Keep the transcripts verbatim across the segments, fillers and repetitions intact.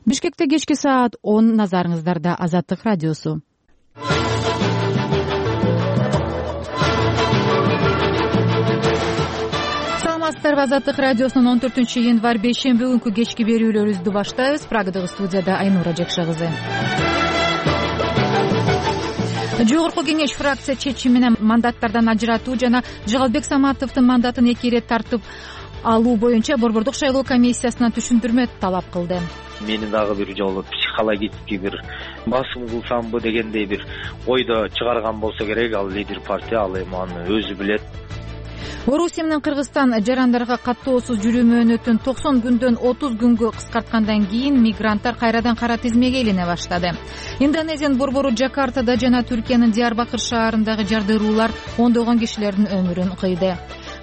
Бишкекте кечки саат он, назарыңыздарда Азаттык радиосу. Саламатсыздарбы? Азаттык радиосунун он төртүнчү январь бейшемби күнкү кечки берүүлөрүбүздү баштайбыз. Прагадагы студияда Айнура Жекша кызы. Жогорку кеңеш фракция чечими менен мандаттардан ажыратуу жана Жыгалбек Саматовдун мандатын эки ирет тартып алуу боюнча Борбордук шайлоо комиссиясына түшүндүрмө талап кылды. Мени дагы бир жолу психологически бир басым кылсамбы дегендей бир ойдо чыгарган болсо керек. Ал лидер партия, ал эми аны өзү билет. Орусия менен Кыргызстан жарандарга каттоосуз жүрүү мөөнөтүн токсон күндөн отуз күнгө кыскарткандан кийин мигранттар кайрадан кара тизмеге илине баштады. Индонезиянын борбору Жакартада жана Түркиянын Диярбакыр шаарындагы жардыруулар ондогон кишилердин өмүрүн кыйды.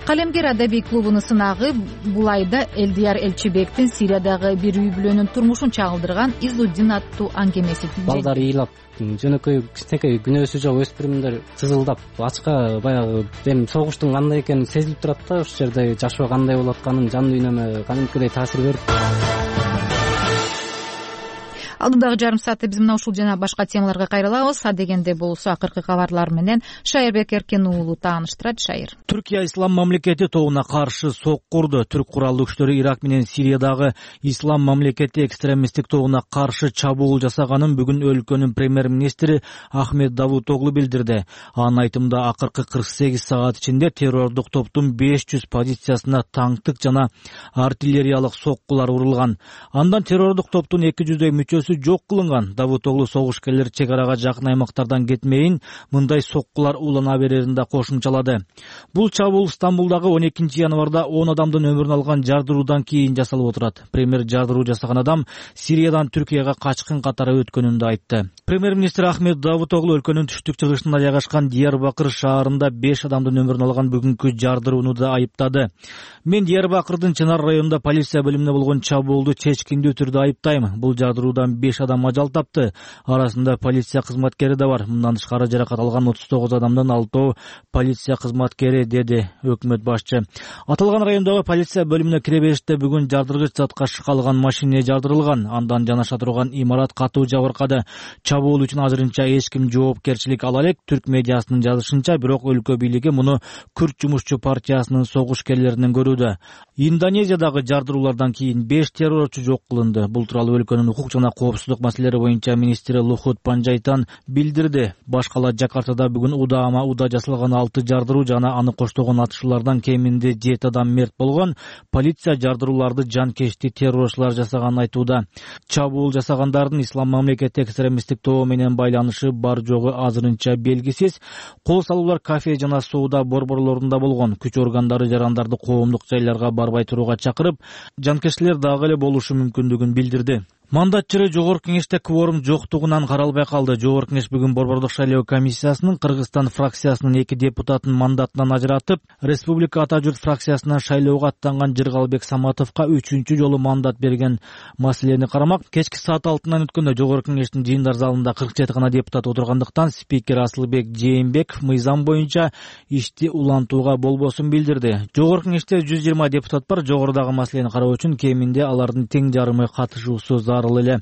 Калемгер адабий клубунун сынагы бул айда Элдияр Элчибектин Сириядагы бир үй бүлөнүн турмушун чагылдырган Изуддин аттуу аңгемеси. Балдар ыйлап, жөнөкөй кичинекей күнөөсү жок өспүрүмдөр сызылдап, ачка баягы эми согуштун кандай экени сезилип турат да, ушул жерде жашоо кандай болуп атканын жан дүйнөмө кадимкидей таасир берип. Алдыдагы жарым саатта биз мына ушул жана башка темаларга кайрылабыз. Адегенде болсо акыркы кабарлар менен Шайырбек Эркен уулу тааныштырат. Шайыр. Түркия ислам мамлекети тобуна каршы сок курду. Түрк куралдуу күчтөрү Ирак менен Сириядагы ислам мамлекети экстремисттик тобуна каршы чабуул жасаганын бүгүн өлкөнүн премьер-министри Ахмед Давутоглу билдирди. Анын айтымында акыркы кырк сегиз саат ичинде террордук топтун беш жүз позициясына танктык жана артиллериялык соккулар урулган. Андан террордук топтун эки жүздөй мүчөсү жок кылынган. Давутоглу согушкерлер чек арага жакын аймактардан кетмейин, мындай соккулар улана берерин да кошумчалады. Бул чабуул Стамбулдагы он экинчи январда он адамдын өмүрүн алган жардыруудан кийин жасалып отурат. Премьер жардыруу жасаган адам Сириядан Түркияга качкын катары өткөнүн да айтты. Премьер-министр Ахмед Давутоглу өлкөнүн түштүк чыгышында жайгашкан Диярбакыр шаарында беш адамдын өмүрүн алган бүгүнкү жардырууну да айыптады. Мен Диярбакырдын Чынар районунда полиция бөлүмүнө болгон чабуулду чечкиндүү түрдө айыптайм. Бул жардыруудан беш адам ажал тапты. Арасында полиция кызматкери да бар. Мындан тышкары жаракат алган отуз тогуз адамдын алтоо полиция кызматкери, деди өкмөт башчы. Аталган райондогу полиция бөлүмүнө кире бериште бүгүн жардыргыч затка шыкалган машина жардырылган. Андан жанаша турган имарат катуу жабыркады. Чабуул үчүн азырынча эч ким жоопкерчилик ала элек. Түрк медиасынын жазышынча, бирок өлкө бийлиги муну Күрд жумушчу партиясынын согушкерлеринен көрүүдө. Индонезиядагы жардыруулардан кийин беш террорчу жок кылынды. Бул тууралуу өлкөнүн укук жана коопсуздук маселелери боюнча министри Лухут Панжайтан билдирди. Башкала Жакартада бүгүн удаама уда жасалган алты жардыруу жана аны коштогон атышуулардан кеминде жети адам мерт болгон. Полиция жардырууларды жанкечти террорчулар жасаганын айтууда. Чабуул жасагандардын ислам мамлекети экстремисттик тобу менен байланышы бар жогу азырынча белгисиз. Кол салуулар кафе жана соода борборлорунда болгон. Күч органдары жарандарды коомдук жайларга барбай турууга чакырып, жанкештилер дагы эле болушу мүмкүндүгүн билдирди. Мандатчыры жогорку кеңеште кворум жоктугунан каралбай калды. Жогорку кеңеш бүгүн Борбордук шайлоо комиссиясынын Кыргызстан фракциясынын эки депутатын мандатынан ажыратып, Республика Ата журт фракциясынан шайлоого аттанган Жыгалбек Саматовго үчүнчү жолу мандат берген маселени карамак. Кечки саат алтыдан өткөндө жогорку кеңештин жыйындар залында кырк жети гана депутат отургандыктан спикер Асылбек Жээнбеков мыйзам боюнча ишти улантууга болбосун билдирди. Жогорку кеңеште жүз жыйырма депутат бар. Жогорудагы маселени кароо үчүн кеминде алардын тең жарымы катышуусу зарыл эле.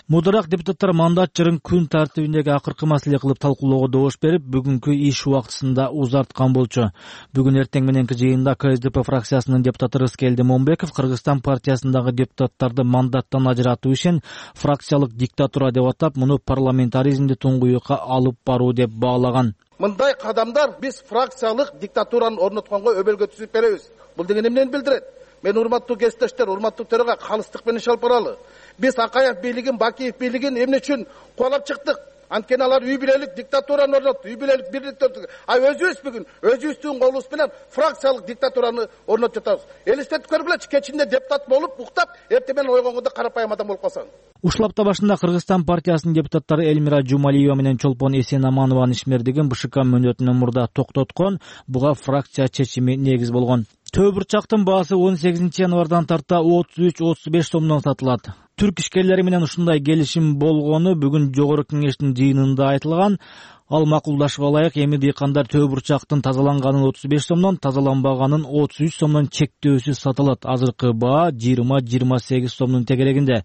Мударак депутаттар мандатчырын күн тартибиндеги акыркы маселе кылып талкуулоого добуш берип, бүгүнкү иш убактысында узарткан болчу. Бүгүн эртең мененки жыйында КСДП фракциясынын депутаты Рыскелди Момбеков Кыргызстан партиясындагы депутаттарды мандаттан ажыратуу ишин фракциялык диктатура деп атап, муну парламентаризмди туңгуюкка алып баруу деп баалаган. Мындай кадамдар биз фракциялык диктатураны орнотконго өбөлгө түзүп беребиз. Бул деген эмнени билдирет? Мен урматтуу кесиптештер, урматтуу төрага калыстык менен алып баралы. Биз Акаев бийлигин, Бакиев бийлигин эмне үчүн куалап чыктык? Анткени алар үй бүлөлүк диктатураны орнотту, үй бүлөлүк бирликти орнотту. А өзүбүз бүгүн өзүбүздүн колубуз менен фракциялык диктатураны орнотуп жатабыз. Элестетип көргүлөчү, кечинде депутат болуп, уктап, эртең менен ойгонгондо карапайым адам болуп калсаң. Ушул апта башында Кыргызстан партиясынын депутаттары Элмира Жумалиева менен Чолпон Эсенаманованын ишмердигин БШК мөөнөтүнөн мурда токтоткон. Буга фракция чечими негиз болгон. Төө бурчактын баасы он сегизинчи январдан тарта отуз үч отуз беш сомдон сатылат. Түрк ишкерлери менен ушундай келишим болгону бүгүн жогорку кеңештин жыйынында айтылган. Ал макулдашып алайык, эми дыйкандар төө бурчактын тазаланганын отуз беш сомдон, тазаланбаганын отуз үч сомдон чектөөсүз сатылат. Азыркы баа жыйырма жыйырма сегиз сомдун тегерегинде.